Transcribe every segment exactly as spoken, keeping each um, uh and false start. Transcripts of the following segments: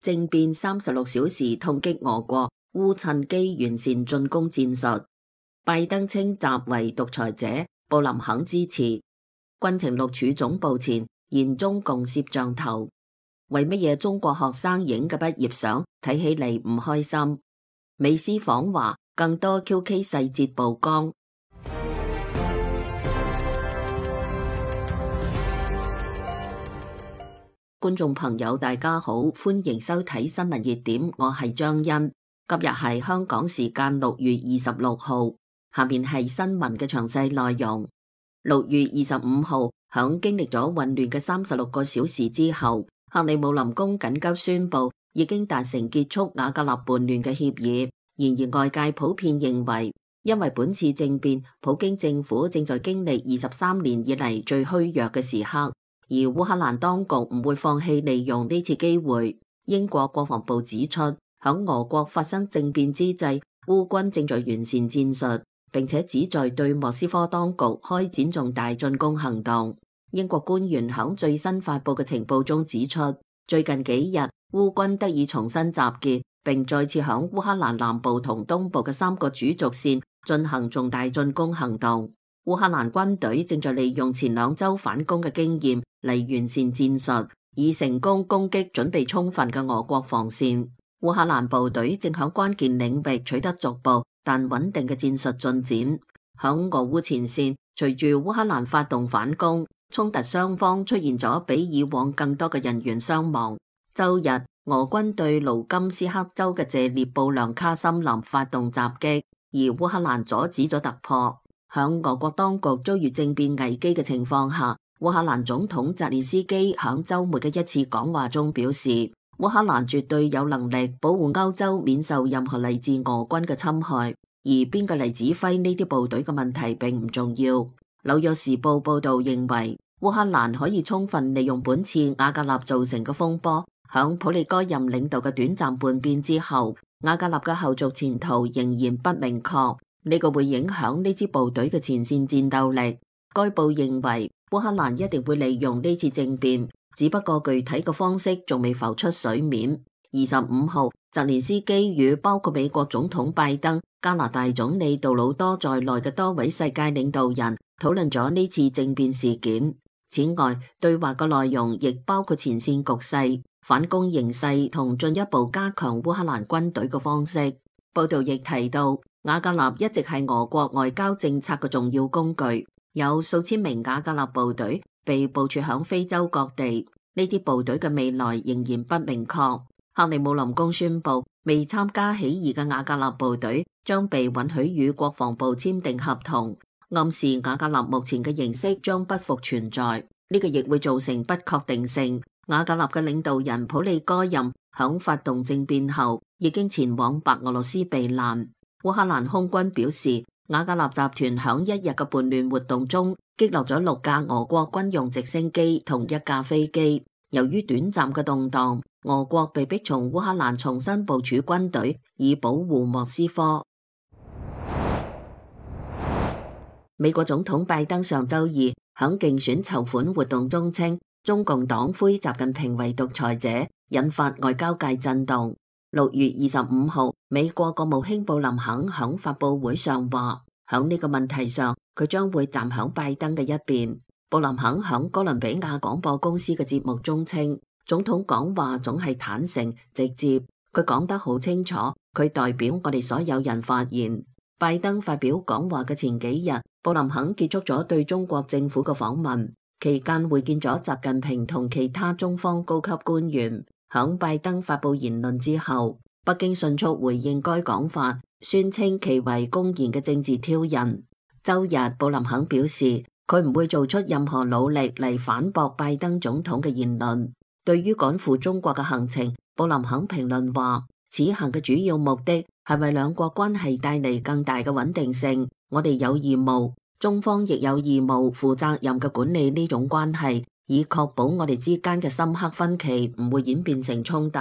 政變三十六小時痛擊俄國，烏趁機完善進攻戰術。拜登稱習為獨裁者，布林肯支持。軍情六處總部前現中共攝像頭。為乜嘢中國學生影嘅畢業相睇起嚟唔開心？美斯訪華，更多 Q K 細節曝光。觀眾朋友大家好，歡迎收睇新聞熱點，我係張欣。今日係香港時間六月二十六號，下面係新聞嘅詳細內容。六月二十五號，響經歷咗混亂嘅三十六個小時之後，克里姆林宮緊急宣布已經達成結束瓦格納叛亂嘅協議。然而外界普遍認為，因為本次政變，普京政府正在經歷二十三年以嚟最虛弱嘅時刻。而烏克蘭當局唔會放棄利用呢次機會。英國國防部指出，響俄國發生政變之際，烏軍正在完善戰術，並且旨在對莫斯科當局開展重大進攻行動。英國官員響最新發佈嘅情報中指出，最近幾日烏軍得以重新集結，並再次響烏克蘭南部同東部嘅三個主軸線進行重大進攻行動。烏克蘭軍隊正在利用前兩周反攻嘅經驗嚟完善戰術，以成功攻擊準備充分嘅俄國防線。烏克蘭部隊正響關鍵領域取得逐步但穩定嘅戰術進展。響俄烏前線，隨住烏克蘭發動反攻，衝突雙方出現咗比以往更多嘅人員傷亡。周日，俄軍對盧甘斯克州嘅謝列布良卡森林發動襲擊，而烏克蘭阻止咗突破。響俄國當局遭遇政變危機嘅情況下，烏克蘭總統澤連斯基響周末嘅一次講話中表示，烏克蘭絕對有能力保護歐洲免受任何嚟自俄軍嘅侵害，而邊個嚟指揮呢啲部隊嘅問題並唔重要。紐約時報報道認為，烏克蘭可以充分利用本次瓦格納造成嘅風波。響普利戈任領導嘅短暫叛變之後，瓦格納嘅後續前途仍然不明確。呢個會影響呢支部隊嘅前線戰鬥力。該報認為烏克蘭一定會利用呢次政變，只不過具體嘅方式仲未浮出水面。二十五號，澤連斯基與包括美國總統拜登、加拿大總理杜魯多在內嘅多位世界領導人討論咗呢次政變事件。此外，對話嘅內容亦包括前線局勢、反攻形勢同進一步加強烏克蘭軍隊嘅方式。報道亦提到，瓦格納一直係俄國外交政策嘅重要工具，有數千名瓦格納部隊被部署響非洲各地。呢啲部隊嘅未來仍然不明確。克里姆林宮宣布，未參加起義嘅瓦格納部隊將被允許與國防部簽訂合同，暗示瓦格納目前嘅形式將不復存在。呢個亦會造成不確定性。瓦格納嘅領導人普利戈任響發動政變後，已經前往白俄羅斯避難。烏克蘭空軍表示，瓦格納集團響一日嘅叛亂活動中擊落咗六架俄國軍用直升機同一架飛機。由於短暫嘅動盪，俄國被迫從烏克蘭重新部署軍隊，以保護莫斯科。美國總統拜登上周二響競選籌款活動中稱，中共黨魁習近平為獨裁者，引發外交界震動。六月二十五號，美國國務卿布林肯響發佈會上話，響呢個問題上，佢將會站響拜登嘅一邊。布林肯響哥倫比亞廣播公司嘅節目中稱，總統講話總係坦誠直接，佢講得好清楚，佢代表我哋所有人發言。拜登發表講話嘅前幾日，布林肯結束咗對中國政府嘅訪問，期間會見咗習近平同其他中方高級官員。響拜登發佈言論之後，北京迅速回應該講法，宣稱其為公然嘅政治挑釁。周日，布林肯表示，佢唔會做出任何努力嚟反駁拜登總統嘅言論。對於趕赴中國嘅行程，布林肯評論話，此行嘅主要目的係為兩國關係帶嚟更大嘅穩定性。我哋有義務，中方亦有義務負責任嘅管理呢種關係，以確保我哋之間嘅深刻分歧唔會演變成衝突。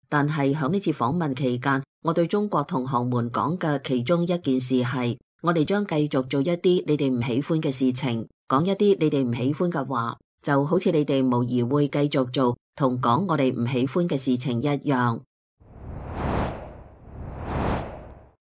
但係響呢次訪問期間，我對中國同行們講嘅其中一件事係，我哋將繼續做一啲你哋唔喜歡嘅事情，講一啲你哋唔喜歡嘅話。就好似你哋無疑會繼續做同講我哋唔喜歡嘅事情一樣。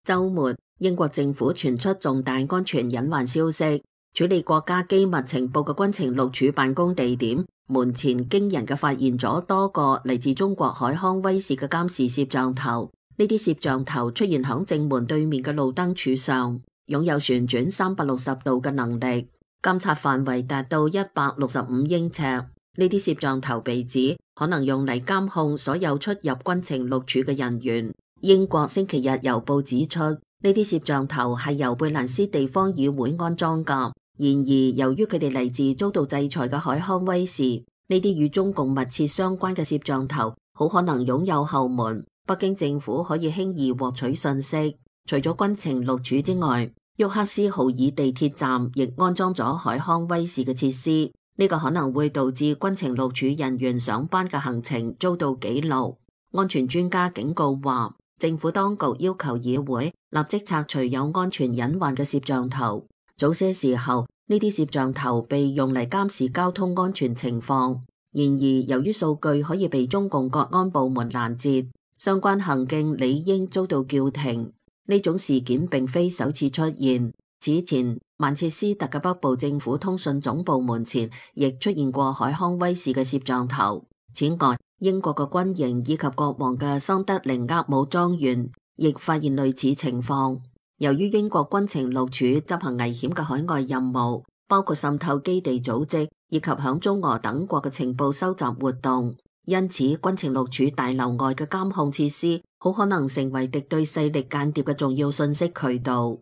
週末，英國政府傳出重大安全隱患消息，處理國家機密情報嘅軍情六處辦公地點門前驚人嘅發現咗多個嚟自中國海康威視嘅監視攝像頭。呢啲攝像頭出現響正門對面嘅路燈柱上，擁有旋轉三百六十度嘅能力，監察範圍達到一百六十五英尺。呢啲攝像頭被指可能用嚟監控所有出入軍情六處嘅人員。英國星期日郵報指出，呢啲攝像頭係由貝蘭斯地方議會安裝㗎。然而，由於佢哋嚟自遭到制裁嘅海康威視，呢啲與中共密切相關嘅攝像頭好可能擁有後門，北京政府可以輕易獲取信息。除咗軍情六處之外，沃克斯豪爾地鐵站亦安裝咗海康威視嘅設施，呢、這個可能會導致軍情六處人員上班嘅行程遭到記錄。安全專家警告話，政府當局要求議會立即拆除有安全隱患嘅攝像頭。早些時候，呢啲攝像頭被用嚟監視交通安全情況。然而，由於數據可以被中共國安部門攔截，相關行徑理應遭到叫停。呢種事件並非首次出現。此前，曼徹斯特嘅北部政府通訊總部門前亦出現過海康威視嘅攝像頭。此外，英國嘅軍營以及國王嘅桑德靈厄姆莊園亦發現類似情況。由於英國軍情六處執行危險嘅海外任務，包括滲透基地組織以及響中俄等國嘅情報收集活動，因此軍情六處大樓外嘅監控設施好可能成為敵對勢力間諜嘅重要信息渠道。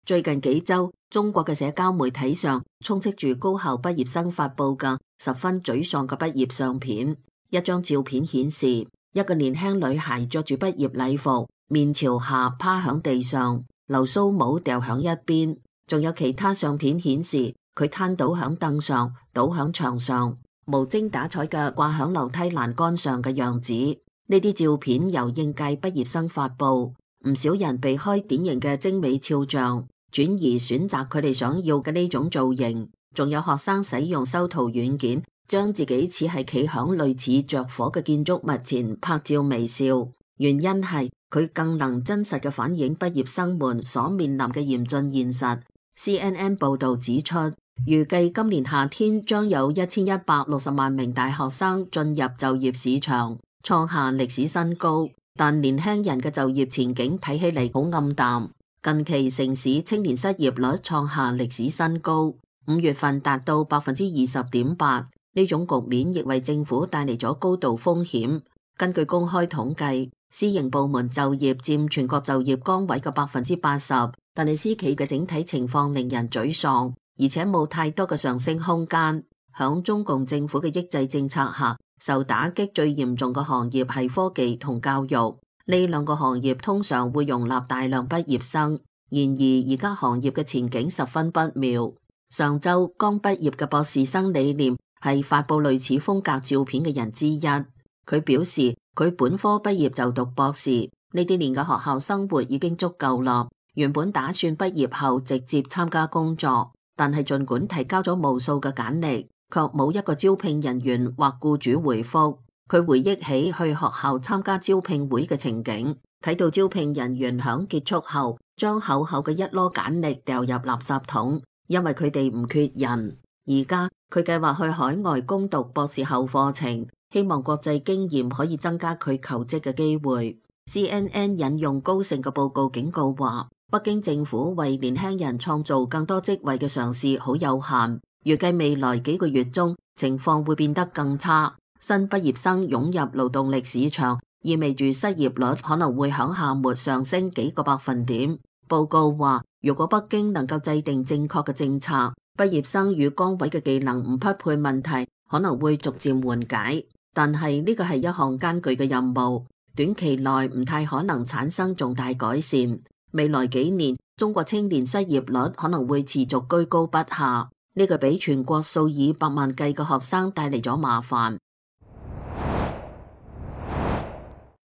最近幾週，中國嘅社交媒體上充斥住高校畢業生發佈嘅十分沮喪嘅畢業相片。一張照片顯示，一個年輕女孩着住畢業禮服，面朝下趴響地上，流蘇帽掉響一邊。仲有其他相片顯示，佢攤倒響凳上，倒響牆上，無精打采嘅掛響樓梯欄杆上嘅樣子。呢啲照片由應屆畢業生發佈，唔少人避開典型嘅精美肖像，轉而選擇佢哋想要嘅呢種造型。仲有學生使用修圖軟件，將自己似係企響類似着火嘅建築物前拍照微笑。原因係佢更能真實嘅反映畢業生們所面臨嘅嚴峻現實。C N N 報道指出，預計今年夏天將有一千一百六十萬名大學生進入就業市場，創下歷史新高。但年輕人嘅就業前景睇起嚟好暗淡。近期城市青年失業率創下歷史新高，五月份達到百分之二十點八。呢種局面亦為政府帶嚟咗高度風險。根據公開統計，私營部門就業佔全國就業崗位嘅百分之八十，但係私企嘅整體情況令人沮喪，而且冇太多嘅上升空間。響中共政府嘅抑制政策下，受打擊最嚴重嘅行業係科技同教育。呢兩個行業通常會容納大量畢業生，然而而家行業嘅前景十分不妙。上周剛畢業嘅博士生李念係發佈類似風格照片嘅人之一。佢表示佢本科畢業就讀博士，呢啲年嘅學校生活已經足夠啦。原本打算畢業後直接參加工作，但係盡管提交咗無數嘅簡歷，卻冇一個招聘人員或僱主回覆。佢回憶起去學校參加招聘會嘅情景，睇到招聘人員響結束後將厚厚嘅一籮簡歷掉入垃圾桶，因為佢哋唔缺人。而家佢計劃去海外攻讀博士後課程，希望國際經驗可以增加佢求職嘅機會。C N N 引用高盛嘅報告警告話，北京政府為年輕人創造更多職位嘅嘗試好有限，預計未來幾個月中情況會變得更差。新畢業生湧入勞動力市場，意味住失業率可能會響夏末上升幾個百分點。報告話，如果北京能夠制定正確嘅政策，畢業生與崗位嘅技能唔匹配問題可能會逐漸緩解。但係呢個係一項艱巨嘅任務，短期內唔太可能產生重大改善。未來幾年，中國青年失業率可能會持續居高不下，呢個俾全國數以百萬計嘅學生帶嚟咗麻煩。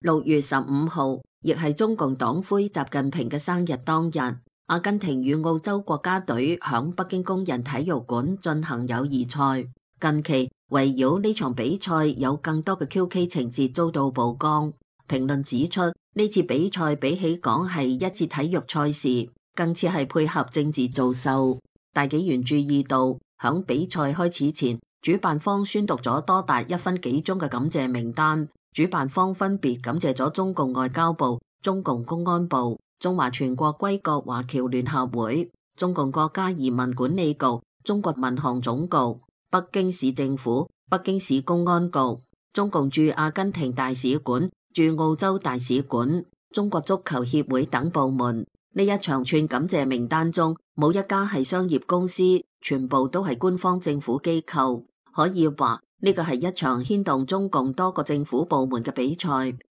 六月十五號，亦係中共黨魁習近平嘅生日當日。阿根廷與澳洲國家隊響北京工人體育館進行友誼賽。近期圍繞呢場比賽有更多嘅 Q K 情節遭到曝光。評論指出，呢次比賽比起講係一次體育賽事，更似係配合政治造秀。大紀元注意到，響比賽開始前，主辦方宣讀咗多達一分幾鐘嘅感謝名單。主辦方分別感謝咗中共外交部、中共公安部、中華全國歸國華僑聯合會、中共國家移民管理局、中國民航總局、北京市政府、北京市公安局、中共駐阿根廷大使館、駐澳洲大使館、中國足球協會等部門。呢一長串感謝名單中，冇一家係商業公司，全部都係官方政府機構。可以話呢個係一場牽動中共多個政府部門嘅比賽，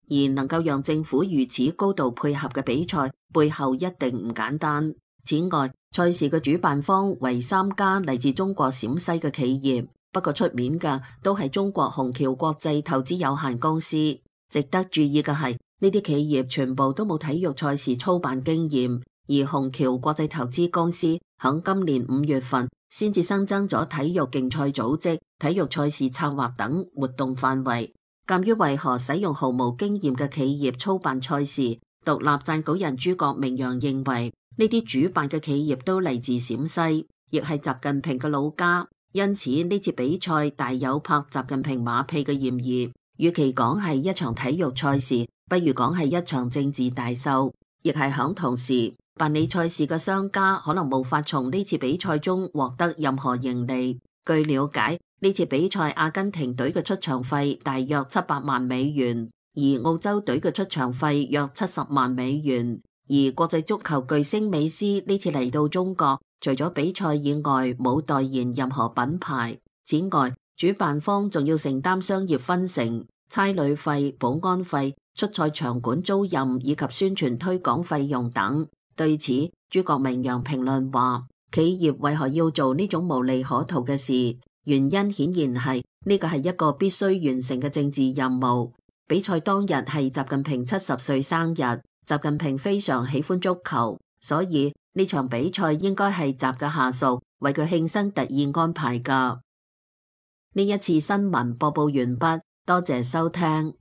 而能夠讓政府如此高度配合嘅比賽，背後一定唔簡單。此外，賽事嘅主辦方為三家嚟自中國陝西嘅企業，不過出面嘅都係中國虹橋國際投資有限公司。值得注意嘅係，呢啲企業全部都冇體育賽事操辦經驗，而虹橋國際投資公司響今年五月份先至新增咗體育競賽組織、體育賽事策劃等活動範圍。鑒於為何使用毫無經驗嘅企業操辦賽事，獨立撰稿人諸葛明陽認為，呢啲主辦嘅企業都嚟自陝西，亦係習近平嘅老家，因此呢次比賽大有拍習近平馬屁嘅嫌疑。與其講係一場體育賽事，不如講係一場政治大秀。亦係響同時，辦理賽事嘅商家可能無法從呢次比賽中獲得任何盈利。據了解，呢次比賽阿根廷隊嘅出場費大約七百萬美元，而澳洲隊嘅出場費約七十萬美元。而國際足球巨星美斯呢次嚟到中國，除咗比賽以外冇代言任何品牌。此外，主辦方仲要承擔商業分成、差旅費、保安費、出賽場館租賃以及宣傳推廣費用等。對此，諸葛明陽評論話，企業為何要做呢種無利可圖嘅事？原因顯然係呢個係一個必須完成嘅政治任務。比賽當日係習近平七十歲生日，習近平非常喜歡足球，所以呢場比賽應該係習嘅下屬為佢慶生特意安排㗎。呢一次新聞播報完畢，多謝收聽。